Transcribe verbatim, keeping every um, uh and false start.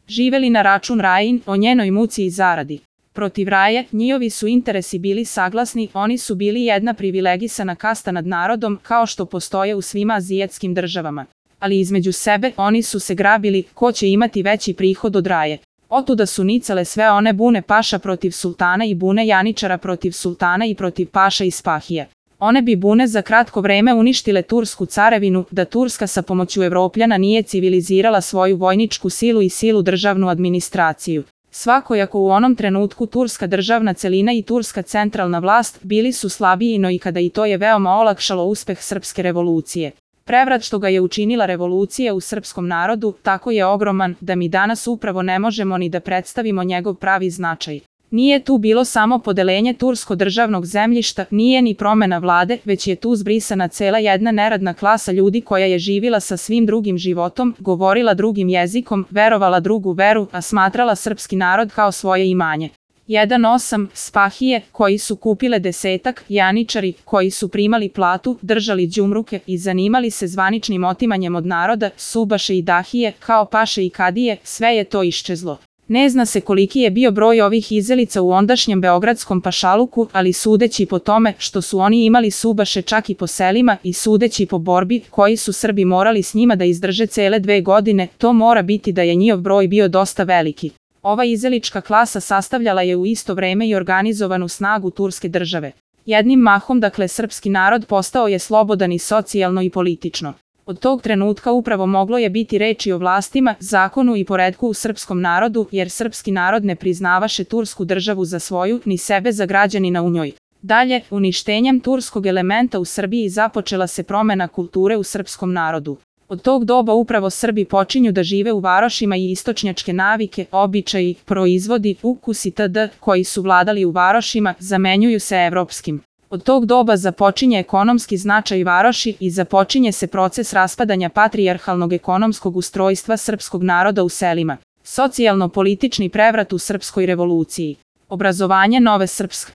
živeli na račun Rajin, o njenoj muci i zaradi. Protiv Raje, njihovi su interesi bili saglasni, oni su bili jedna privilegisana kasta nad narodom, kao što postoje u svima azijetskim državama. Ali između sebe, oni su se grabili, ko će imati veći prihod od Raje. Otuda su nicale sve one bune paša protiv sultana i bune janičara protiv sultana i protiv paša i spahija. One bi bune za kratko vreme uništile tursku carevinu, da Turska sa pomoću Evropljana nije civilizirala svoju vojničku silu i silu državnu administraciju. Svakojako u onom trenutku turska državna celina i turska centralna vlast bili su slabiji, no i kada i to je veoma olakšalo uspeh srpske revolucije. Prevrat što ga je učinila revolucija u srpskom narodu tako je ogroman da mi danas upravo ne možemo ni da predstavimo njegov pravi značaj. Nije tu bilo samo podelenje tursko-državnog zemljišta, nije ni promena vlade, već je tu zbrisana cela jedna neradna klasa ljudi koja je živila sa svim drugim životom, govorila drugim jezikom, verovala drugu veru, a smatrala srpski narod kao svoje imanje. jedan osam spahije, koji su kupile desetak, janičari, koji su primali platu, držali đumruke i zanimali se zvaničnim otimanjem od naroda, subaše i dahije, kao paše i kadije, sve je to iščezlo. Ne zna se koliki je bio broj ovih izelica u ondašnjem beogradskom pašaluku, ali sudeći po tome što su oni imali subaše čak i po selima i sudeći po borbi koji su Srbi morali s njima da izdrže cele dve godine, to mora biti da je njihov broj bio dosta veliki. Ova izelička klasa sastavljala je u isto vreme i organizovanu snagu turske države. Jednim mahom, dakle, srpski narod postao je slobodan i socijalno i politično. Od tog trenutka upravo moglo je biti reči o vlastima, zakonu i poretku u srpskom narodu, jer srpski narod ne priznavaše tursku državu za svoju, ni sebe za građanina u njoj. Dalje, uništenjem turskog elementa u Srbiji započela se promena kulture u srpskom narodu. Od tog doba upravo Srbi počinju da žive u varošima i istočnjačke navike, običaji, proizvodi, ukusi itd. Koji su vladali u varošima, zamenjuju se evropskim. Od tog doba započinje ekonomski značaj varoši i započinje se proces raspadanja patrijarhalnog ekonomskog ustrojstva srpskog naroda u selima. Socijalno-politični prevrat u srpskoj revoluciji. Obrazovanje nove srpske